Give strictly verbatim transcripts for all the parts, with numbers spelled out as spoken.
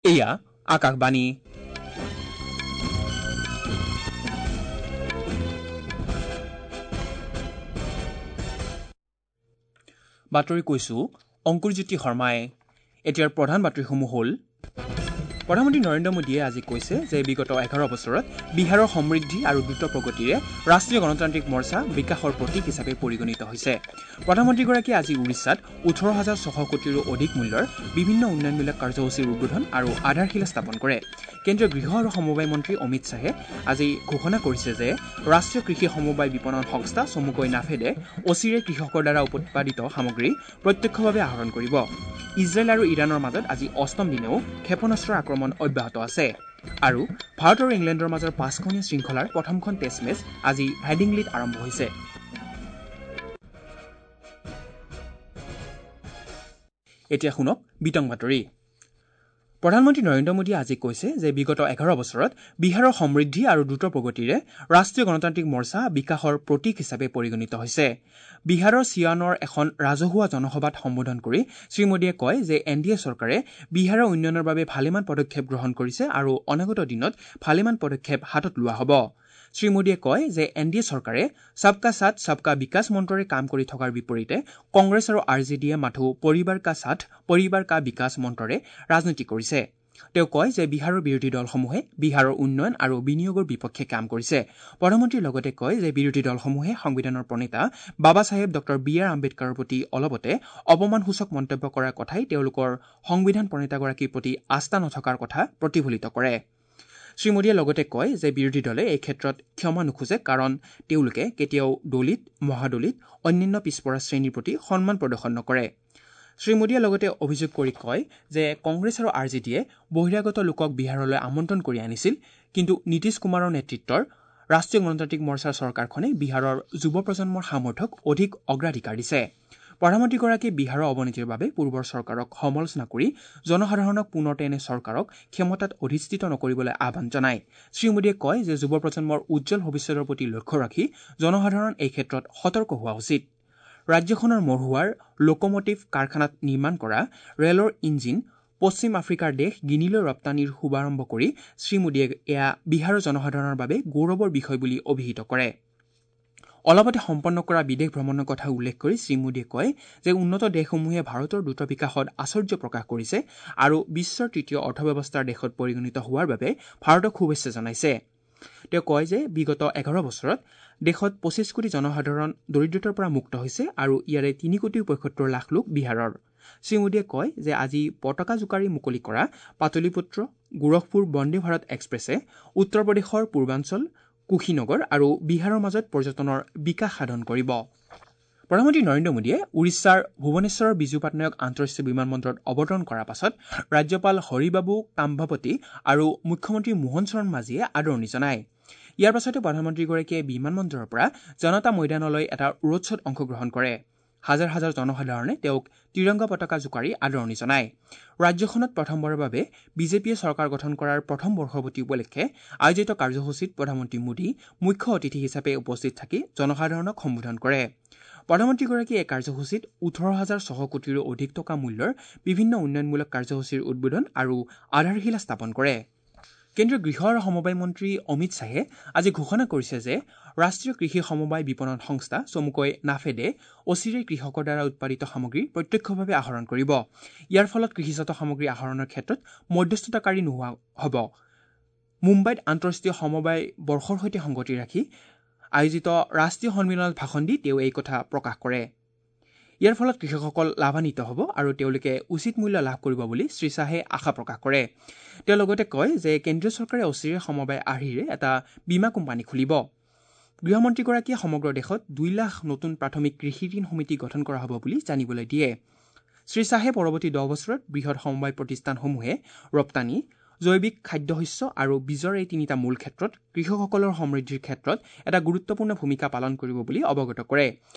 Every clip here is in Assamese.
এয়া আকাশবাণী। বাতৰি কৈছো অংকুৰজ্যোতি শৰ্মাই। এতিয়াৰ প্ৰধান বাতৰিসমূহ হ'ল: প্ৰধানমন্ত্ৰী নৰেন্দ্ৰ মোদীয়ে আজি কৈছে যে বিগত এঘাৰ বছৰত বিহাৰৰ সমৃদ্ধি আৰু দ্ৰুত প্ৰগতিৰে ৰাষ্ট্ৰীয় গণতান্ত্ৰিক মৰ্চা বিকাশৰ প্ৰতীক হিচাপে পৰিগণিত হৈছে। প্ৰধানমন্ত্ৰীগৰাকীয়ে আজি উৰিষ্যাত ওঠৰ হাজাৰ ছশ কোটিৰো অধিক মূল্যৰ বিভিন্ন উন্নয়নমূলক কাৰ্যসূচীৰ উদ্বোধন আৰু আধাৰশিলা স্থাপন কৰে। কেন্দ্ৰীয় গৃহ আৰু সমবায় মন্ত্ৰী অমিত শ্বাহে আজি ঘোষণা কৰিছে যে ৰাষ্ট্ৰীয় কৃষি সমবায় বিপণন সংস্থা চমুকৈ নাফেডে অচিৰে কৃষকৰ দ্বাৰা উৎপাদিত সামগ্ৰী প্ৰত্যক্ষভাৱে আহৰণ কৰিব। ইজৰাইল আৰু ইৰাণৰ মাজত আজি অষ্টম দিনেও ক্ষেপণাস্ত্ৰৰ আক্ৰমণ অব্যাহত আছে। আৰু ভাৰত আৰু ইংলেণ্ডৰ মাজৰ পাঁচখনীয়া শৃংখলাৰ প্ৰথমখন টেষ্ট মেচ আজি হেডিংলিত আৰম্ভ হৈছে। এতিয়া শুনক বিতং বাতৰি। প্ৰধানমন্ত্ৰী নৰেন্দ্ৰ মোদীয়ে আজি কৈছে যে বিগত এঘাৰ বছৰত বিহাৰৰ সমৃদ্ধি আৰু দ্ৰুত প্ৰগতিৰে ৰাষ্ট্ৰীয় গণতান্ত্ৰিক মৰ্চা বিকাশৰ প্ৰতীক হিচাপে পৰিগণিত হৈছে। বিহাৰৰ চিয়ানৰ এখন ৰাজহুৱা জনসভাত সম্বোধন কৰি শ্ৰীমোদীয়ে কয় যে এন ডি এ চৰকাৰে বিহাৰৰ উন্নয়নৰ বাবে ভালেমান পদক্ষেপ গ্ৰহণ কৰিছে আৰু অনাগত দিনত ভালেমান পদক্ষেপ হাতত লোৱা হ'ব। শ্ৰীমোদীয়ে কয় যে এন ডি এ চৰকাৰে সবকা সাথ সবকা বিকাশ মন্ত্ৰৰে কাম কৰি থকাৰ বিপৰীতে কংগ্ৰেছ আৰু আৰ জে ডিয়ে মাথো পৰিবাৰ কা সাথ পৰিবাৰ কা বিকাশ মন্ত্ৰৰে ৰাজনীতি কৰিছে। তেওঁ কয় যে বিহাৰৰ বিৰোধী দলসমূহে বিহাৰৰ উন্নয়ন আৰু বিনিয়োগৰ বিপক্ষে কাম কৰিছে। প্ৰধানমন্ত্ৰীয়ে লগতে কয় যে বিৰোধী দলসমূহে সংবিধানৰ প্ৰণেতা বাবা চাহেব ডক্টৰ বি আৰ আম্বেদকাৰৰ প্ৰতি অলপতে অপমানসূচক মন্তব্য কৰাৰ কথাই তেওঁলোকৰ সংবিধান প্ৰণেতাগৰাকীৰ প্ৰতি আস্থা নথকাৰ কথা প্ৰতিফলিত কৰে। শ্ৰীমোদীয়ে লগতে কয় যে বিৰোধী দলে এই ক্ষেত্ৰত ক্ষমা নোখোজে, কাৰণ তেওঁলোকে কেতিয়াও দলিত, মহাদলিত, অন্যান্য পিছপৰা শ্ৰেণীৰ প্ৰতি সন্মান প্ৰদৰ্শন নকৰে। শ্ৰীমোদীয়ে লগতে অভিযোগ কৰি কয় যে কংগ্ৰেছ আৰু আৰ জে ডিয়ে বহিৰাগত লোকক বিহাৰলৈ আমন্ত্ৰণ কৰি আনিছিল, কিন্তু নীতিশ কুমাৰৰ নেতৃত্বৰ ৰাষ্ট্ৰীয় গণতান্ত্ৰিক মৰ্চাৰ চৰকাৰখনে বিহাৰৰ যুৱ প্ৰজন্মৰ সামৰ্থ্যক অধিক অগ্ৰাধিকাৰ দিছে। প্ৰধানমন্ত্ৰীগৰাকীয়ে বিহাৰৰ অৱনতিৰ বাবে পূৰ্বৰ চৰকাৰক সমালোচনা কৰি জনসাধাৰণক পুনৰ তেনে চৰকাৰক ক্ষমতাত অধিষ্ঠিত নকৰিবলৈ আহ্বান জনায়। শ্ৰীমোদীয়ে কয় যে যুৱ প্ৰজন্মৰ উজ্জ্বল ভৱিষ্যতৰ প্ৰতি লক্ষ্য ৰাখি জনসাধাৰণ এই ক্ষেত্ৰত সতৰ্ক হোৱা উচিত। ৰাজ্যখনৰ মৰহুৱাৰ লোকমটিভ কাৰখানাত নিৰ্মাণ কৰা ৰেলৰ ইঞ্জিন পশ্চিম আফ্ৰিকাৰ দেশ গিনিলৈ ৰপ্তানিৰ শুভাৰম্ভ কৰি শ্ৰীমোদীয়ে এয়া বিহাৰৰ জনসাধাৰণৰ বাবে গৌৰৱৰ বিষয় বুলি অভিহিত কৰে। অলপতে সম্পন্ন কৰা বিদেশ ভ্ৰমণৰ কথা উল্লেখ কৰি শ্ৰীমোদীয়ে কয় যে উন্নত দেশসমূহে ভাৰতৰ দ্ৰুত বিকাশত আশ্চৰ্য প্ৰকাশ কৰিছে আৰু বিশ্বৰ তৃতীয় অৰ্থব্যৱস্থাৰ দেশত পৰিগণিত হোৱাৰ বাবে ভাৰতক শুভেচ্ছা জনাইছে। তেওঁ কয় যে বিগত এঘাৰ বছৰত দেশত পঁচিছ কোটি জনসাধাৰণ দৰিদ্ৰতাৰ পৰা মুক্ত হৈছে আৰু ইয়াৰে তিনি কোটি পঁয়সত্তৰ লাখ লোক বিহাৰৰ। শ্ৰীমোদীয়ে কয় যে আজি পতাকা জোকাৰি মুকলি কৰা পাটলিপুত্ৰ গোৰখপুৰ বন্দে ভাৰত এক্সপ্ৰেছে উত্তৰ প্ৰদেশৰ পূৰ্বাঞ্চল, কুশীনগৰ আৰু বিহাৰৰ মাজত পৰ্যটনৰ বিকাশ সাধন কৰিব। প্ৰধানমন্ত্ৰী নৰেন্দ্ৰ মোদীয়ে উৰিষ্যাৰ ভুৱনেশ্বৰৰ বিজু পাটনায়ক আন্তঃৰাষ্ট্ৰীয় বিমানবন্দৰত অৱতৰণ কৰাৰ পাছত ৰাজ্যপাল হৰিবাবু কাম্ভাপতি আৰু মুখ্যমন্ত্ৰী মোহন চৰণ মাঝিয়ে আদৰণি জনায়। ইয়াৰ পাছতে প্ৰধানমন্ত্ৰীগৰাকীয়ে বিমানবন্দৰৰ পৰা জনতা ময়দানলৈ এটা ৰোড শ্ব'ত অংশগ্ৰহণ কৰে। হাজাৰ হাজাৰ জনসাধাৰণে তেওঁক তিৰংগা পতাকা জোকাৰি আদৰণি জনায়। ৰাজ্যখনত প্ৰথমবাৰৰ বাবে বিজেপিয়ে চৰকাৰ গঠন কৰাৰ প্ৰথম বৰ্ষৱতী উপলক্ষে আয়োজিত কাৰ্যসূচীত প্ৰধানমন্ত্ৰী মোদী মুখ্য অতিথি হিচাপে উপস্থিত থাকি জনসাধাৰণক সম্বোধন কৰে। প্ৰধানমন্ত্ৰীগৰাকীয়ে এই কাৰ্যসূচীত ওঠৰ হাজাৰ ছশ কোটিৰো অধিক টকা মূল্যৰ বিভিন্ন উন্নয়নমূলক কাৰ্যসূচীৰ উদ্বোধন আৰু আধাৰশিলা স্থাপন কৰে। কেন্দ্ৰীয় গৃহ আৰু সমবায় মন্ত্ৰী অমিত শ্বাহে আজি ঘোষণা কৰিছে যে ৰাষ্ট্ৰীয় কৃষি সমবায় বিপণন সংস্থা চমুকৈ নাফেডে অচিৰে কৃষকৰ দ্বাৰা উৎপাদিত সামগ্ৰী প্ৰত্যক্ষভাৱে আহৰণ কৰিব। ইয়াৰ ফলত কৃষিজাত সামগ্ৰী আহৰণৰ ক্ষেত্ৰত মধ্যস্থতাকাৰী নোহোৱা হ'ব। মুম্বাইত আন্তঃৰাষ্ট্ৰীয় সমবায় বৰ্ষৰ সৈতে সংগতি ৰাখি আয়োজিত ৰাষ্ট্ৰীয় সন্মিলনত ভাষণ দি তেওঁ এই কথা প্ৰকাশ কৰে। ইয়াৰ ফলত কৃষকসকল লাভান্বিত হ'ব আৰু তেওঁলোকে উচিত মূল্য লাভ কৰিব বুলি শ্ৰী শ্বাহে আশা প্ৰকাশ কৰে। তেওঁ লগতে কয় যে কেন্দ্ৰীয় চৰকাৰে অচিৰে সমবায় আৰ্হিৰে এটা বীমা কোম্পানী খুলিব। গৃহমন্ত্ৰীগৰাকীয়ে সমগ্ৰ দেশত দুই লাখ নতুন প্ৰাথমিক কৃষি ঋণ সমিতি গঠন কৰা হ'ব বুলি জানিবলৈ দিয়ে। শ্ৰী শ্বাহে পৰৱৰ্তী দহ বছৰত বৃহৎ সমবায় প্ৰতিষ্ঠানসমূহে ৰপ্তানি, জৈৱিক খাদ্যশস্য আৰু বীজৰ এই তিনিটা মূল ক্ষেত্ৰত কৃষকসকলৰ সমৃদ্ধিৰ ক্ষেত্ৰত এটা গুৰুত্বপূৰ্ণ ভূমিকা পালন কৰিব বুলি অৱগত কৰে।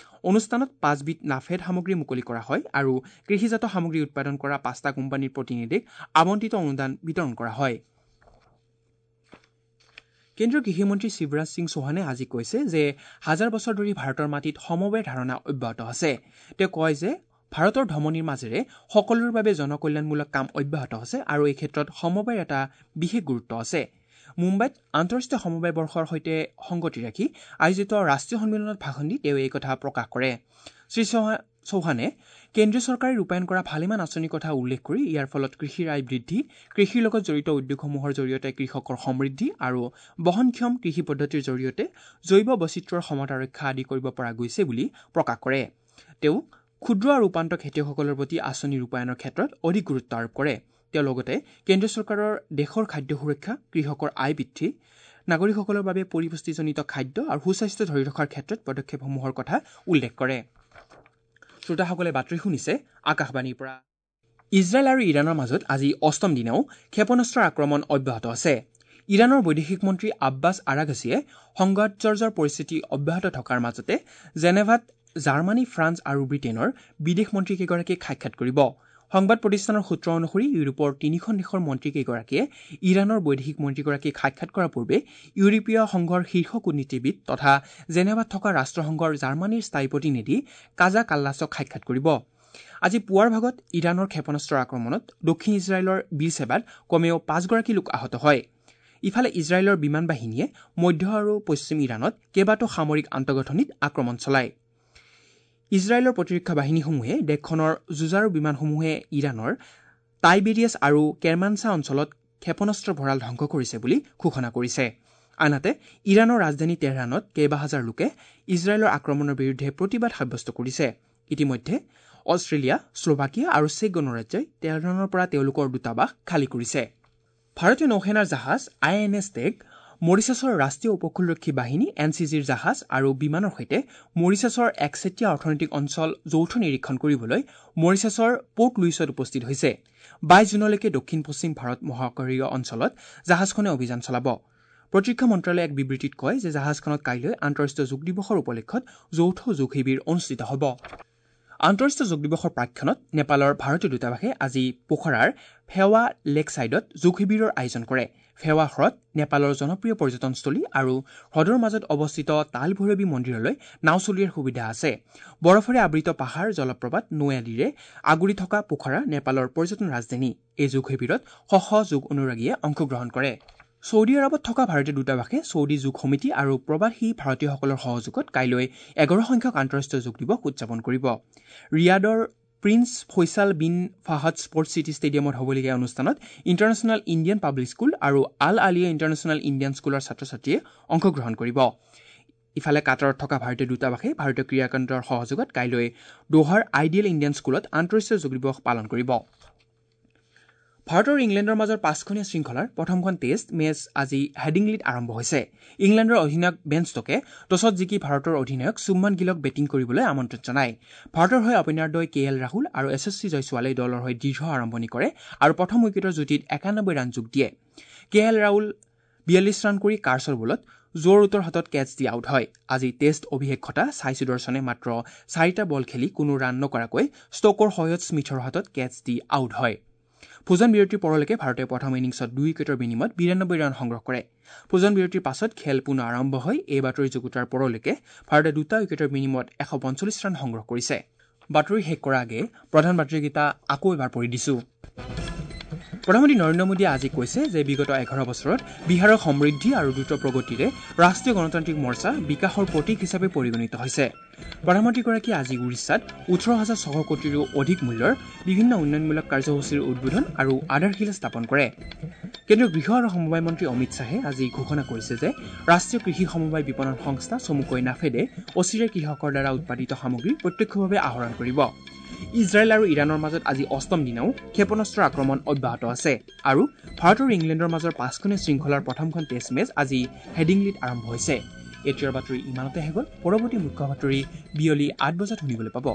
অনুষ্ঠানত পাঁচবিধ নাফেড সামগ্ৰী মুকলি কৰা হয় আৰু কৃষিজাত সামগ্ৰী উৎপাদন কৰা পাঁচটা কোম্পানীৰ প্ৰতিনিধিক আবণ্টিত অনুদান বিতৰণ কৰা হয়। কেন্দ্ৰীয় কৃষিমন্ত্ৰী শিৱৰাজ সিং চৌহানে আজি কৈছে যে হাজাৰ বছৰ ধৰি ভাৰতৰ মাটিত সমবায়ৰ ধাৰণা অব্যাহত আছে। তেওঁ কয় যে ভাৰতৰ ধমনীৰ মাজেৰে সকলোৰে বাবে জনকল্যাণমূলক কাম অব্যাহত আছে আৰু এই ক্ষেত্ৰত সমবায়ৰ এটা বিশেষ গুৰুত্ব আছে। মুম্বাইত আন্তঃৰাষ্ট্ৰীয় সমবায় বৰ্ষৰ সৈতে সংগতি ৰাখি আয়োজিত ৰাষ্ট্ৰীয় সন্মিলনত ভাষণ দি তেওঁ এই কথা প্ৰকাশ কৰে। শ্ৰী চৌহানে কেন্দ্ৰীয় চৰকাৰে ৰূপায়ণ কৰা ভালেমান আঁচনিৰ কথা উল্লেখ কৰি ইয়াৰ ফলত কৃষিৰ আয় বৃদ্ধি, কৃষিৰ লগত জড়িত উদ্যোগসমূহৰ জৰিয়তে কৃষকৰ সমৃদ্ধি আৰু বহনক্ষম কৃষি পদ্ধতিৰ জৰিয়তে জৈৱ বৈচিত্ৰ্যৰ সমতা ৰক্ষা আদি কৰিব পৰা গৈছে বুলি প্ৰকাশ কৰে। তেওঁ ক্ষুদ্ৰ আৰু উপান্ত খেতিয়কসকলৰ প্ৰতি আঁচনি ৰূপায়ণৰ ক্ষেত্ৰত অধিক গুৰুত্ব আৰোপ কৰে। তেওঁ লগতে কেন্দ্ৰীয় চৰকাৰৰ দেশৰ খাদ্য সুৰক্ষা, কৃষকৰ আয় বৃদ্ধি, নাগৰিকসকলৰ বাবে পৰিপুষ্টিজনিত খাদ্য আৰু সুস্বাস্থ্য ধৰি ৰখাৰ ক্ষেত্ৰত পদক্ষেপসমূহৰ কথা উল্লেখ কৰে। শ্ৰোতাসকলে বাতৰি শুনিছে আকাশবাণীৰ পৰা। ইজৰাইল আৰু ইৰাণৰ মাজত আজি অষ্টম দিনাও ক্ষেপণাস্ত্ৰৰ আক্ৰমণ অব্যাহত আছে। ইৰাণৰ বৈদেশিক মন্ত্ৰী আব্বাছ আৰাঘাছিয়ে সংঘাতজৰ্জৰ পৰিস্থিতি অব্যাহত থকাৰ মাজতে জেনেভাত জাৰ্মানী, ফ্ৰান্স আৰু ব্ৰিটেইনৰ বিদেশ মন্ত্ৰীকেইগৰাকীক সাক্ষাৎ কৰিব। সংবাদ প্ৰতিষ্ঠানৰ সূত্ৰ অনুসৰি ইউৰোপৰ তিনিখন দেশৰ মন্ত্ৰীকেইগৰাকীয়ে ইৰাণৰ বৈদেশিক মন্ত্ৰীগৰাকীক সাক্ষাৎ কৰাৰ পূৰ্বে ইউৰোপীয় সংঘৰ শীৰ্ষ কূটনীতিবিদ তথা জেনেভাত থকা ৰাষ্ট্ৰসংঘৰ জাৰ্মানীৰ স্থায়ী প্ৰতিনিধি কাজা কাল্লাছক সাক্ষাৎ কৰিব। আজি পুৱাৰ ভাগত ইৰাণৰ ক্ষেপণাস্ত্ৰৰ আক্ৰমণত দক্ষিণ ইজৰাইলৰ বীৰছেবাত কমেও পাঁচগৰাকী লোক আহত হয়। ইফালে ইজৰাইলৰ বিমান বাহিনীয়ে মধ্য আৰু পশ্চিম ইৰাণত কেইবাটাও সামৰিক আন্তঃগাঁথনিত আক্ৰমণ চলায়। ইজৰাইলৰ প্ৰতিৰক্ষা বাহিনীসমূহে দেশখনৰ যুঁজাৰু বিমানসমূহে ইৰাণৰ টাইবেৰিয়াছ আৰু কেৰমানছা অঞ্চলত ক্ষেপণাস্ত্ৰ ভঁৰাল ধ্বংস কৰিছে বুলি ঘোষণা কৰিছে। আনহাতে ইৰাণৰ ৰাজধানী তেহৰাণত কেইবাহাজাৰ লোকে ইজৰাইলৰ আক্ৰমণৰ বিৰুদ্ধে প্ৰতিবাদ সাব্যস্ত কৰিছে। ইতিমধ্যে অষ্ট্ৰেলিয়া, শ্লোভাকিয়া আৰু চেক গণৰাজ্যই তেহৰাণৰ পৰা তেওঁলোকৰ দূতাবাস খালী কৰিছে। ভাৰতীয় নৌসেনাৰ জাহাজ আই এন এছ টেগ মৰিচাছৰ ৰাষ্ট্ৰীয় উপকূলৰক্ষী বাহিনী এন চি জিৰ জাহাজ আৰু বিমানৰ সৈতে মৰিচাছৰ একচেটীয়া অৰ্থনৈতিক অঞ্চল যৌথ নিৰীক্ষণ কৰিবলৈ মৰিচাছৰ প'ৰ্ট লুইছত উপস্থিত হৈছে। বাইছ জুনলৈকে দক্ষিণ পশ্চিম ভাৰত মহাসাগৰীয় অঞ্চলত জাহাজখনে অভিযান চলাব। প্ৰতিৰক্ষা মন্ত্ৰালয়ে এক বিবৃতিত কয় যে জাহাজখনত কাইলৈ আন্তঃৰাষ্ট্ৰীয় যোগ দিৱসৰ উপলক্ষত যৌথ যোগ শিবিৰ অনুষ্ঠিত হ'ব। আন্তঃৰাষ্ট্ৰীয় যোগ দিৱসৰ প্ৰাকক্ষণত নেপালৰ ভাৰতীয় দূতাবাসে আজি পোখৰাৰ ফেৱা লেক ছাইডত যোগ শিবিৰৰ আয়োজন কৰে। ফেৱা হ্ৰদ নেপালৰ জনপ্ৰিয় পৰ্যটনস্থলী আৰু হ্ৰদৰ মাজত অৱস্থিত তাল ভৈৰৱী মন্দিৰলৈ নাও চলোৱাৰ সুবিধা আছে। বৰফেৰে আবৃত পাহাৰ, জলপ্ৰপাত, নৈ আদিৰে আগুৰি থকা পোখৰা নেপালৰ পৰ্যটন ৰাজধানী। এই যোগ শিবিৰত শ শ যোগ অনুৰাগীয়ে অংশগ্ৰহণ কৰে। ছৌদি আৰৱত থকা ভাৰতীয় দূতাবাসে ছৌদি যোগ সমিতি আৰু প্ৰবাসী ভাৰতীয়সকলৰ সহযোগত কাইলৈ এঘাৰ সংখ্যক আন্তঃৰাষ্ট্ৰীয় যোগ দিৱস উদযাপন কৰিব। ৰিয়াদৰ Prince Faisal bin Fahd sports city ষ্টেডিয়ামত হ'বলগীয়া অনুষ্ঠানত ইণ্টাৰনেশ্যনেল ইণ্ডিয়ান পাব্লিক স্কুল আৰু আল আলিয়া ইণ্টাৰনেশ্যনেল ইণ্ডিয়ান স্কুলৰ ছাত্ৰ ছাত্ৰীয়ে অংশগ্ৰহণ কৰিব। ইফালে কাটাৰত থকা ভাৰতীয় দূতাবাসে ভাৰতীয় ক্ৰীড়া কেন্দ্ৰৰ সহযোগত কাইলৈ দোহাৰ আইডিয়েল ইণ্ডিয়ান স্কুলত আন্তঃৰাষ্ট্ৰীয় যোগ দিৱস পালন কৰিব। ভাৰত আৰু ইংলেণ্ডৰ মাজৰ পাঁচখনীয়া শৃংখলাৰ প্ৰথমখন টেষ্ট মেচ আজি হেডিংলিত আৰম্ভ হৈছে। ইংলেণ্ডৰ অধিনায়ক বেন ষ্টকে টছত জিকি ভাৰতৰ অধিনায়ক শুভমান গিলক বেটিং কৰিবলৈ আমন্ত্ৰণ জনায়। ভাৰতৰ হৈ অপেনাৰদ্বয় কে এল ৰাহুল আৰু যশস্বী জয়ছোৱালে দলৰ হৈ দৃঢ় আৰম্ভণি কৰে আৰু প্ৰথম উইকেটৰ যুটিত একানব্বৈ ৰান যোগ দিয়ে। কে এল ৰাহুল বিয়াল্লিছ ৰান কৰি কাৰ্ছৰ বলত জোৰ ৰুটৰ হাতত কেটছ দি আউট হয়। আজি টেষ্ট অভিষেক ঘটা ছাই সুদৰ্শনে মাত্ৰ চাৰিটা বল খেলি কোনো ৰান নকৰাকৈ ষ্টকৰ সহায়ত স্মিথৰ হাতত কেটছ দি আউট হয়। ভোজন বিৰতিৰ পৰলৈকে ভাৰতে প্ৰথম ইনিংছত দুই উইকেটৰ বিনিময়ত বিৰানব্বৈ ৰান সংগ্ৰহ কৰে। ভোজন বিৰতিৰ পাছত খেল পুনৰ আৰম্ভ হয়। এই বাতৰি যুগুতাৰ পৰলৈকে ভাৰতে দুটা উইকেটৰ বিনিময়ত এশ পঞ্চল্লিছ ৰান সংগ্ৰহ কৰিছে। বাতৰি শেষ কৰাৰ আগে প্ৰধান বাতৰিকেইটা আকৌ এবাৰ পঢ়ি দিছো। প্ৰধানমন্ত্ৰী নৰেন্দ্ৰ মোদীয়ে আজি কৈছে যে বিগত এঘাৰ বছৰত বিহাৰৰ সমৃদ্ধি আৰু দ্ৰুত প্ৰগতিৰে ৰাষ্ট্ৰীয় গণতান্ত্ৰিক মৰ্চা বিকাশৰ প্ৰতীক হিচাপে পৰিগণিত হৈছে। প্ৰধানমন্ত্ৰীগৰাকীয়ে আজি উৰিষ্যাত ওঠৰ হাজাৰ ছশ কোটিৰো অধিক মূল্যৰ বিভিন্ন উন্নয়নমূলক কাৰ্যসূচীৰ উদ্বোধন আৰু আধাৰশিলা স্থাপন কৰে। কেন্দ্ৰীয় গৃহ আৰু সমবায় মন্ত্ৰী অমিত শ্বাহে আজি ঘোষণা কৰিছে যে ৰাষ্ট্ৰীয় কৃষি সমবায় বিপণন সংস্থা চমুকৈ নাফেডে অচিৰে কৃষকৰ দ্বাৰা উৎপাদিত সামগ্ৰী প্ৰত্যক্ষভাৱে আহৰণ কৰিব। ইজৰাইল আৰু ইৰাণৰ মাজত আজি অষ্টম দিনাও ক্ষেপণাস্ত্ৰৰ আক্ৰমণ অব্যাহত আছে আৰু ভাৰত আৰু ইংলেণ্ডৰ মাজৰ পাঁচখনীয়া শৃংখলাৰ প্ৰথমখন টেষ্ট মেচ আজি হেডিংলিত আৰম্ভ হৈছে। এতিয়াৰ বাতৰি ইমানতে শেষ হ'ল। পৰৱৰ্তী মুখ্য বাতৰি বিয়লি আঠ বজাত শুনিবলৈ পাব।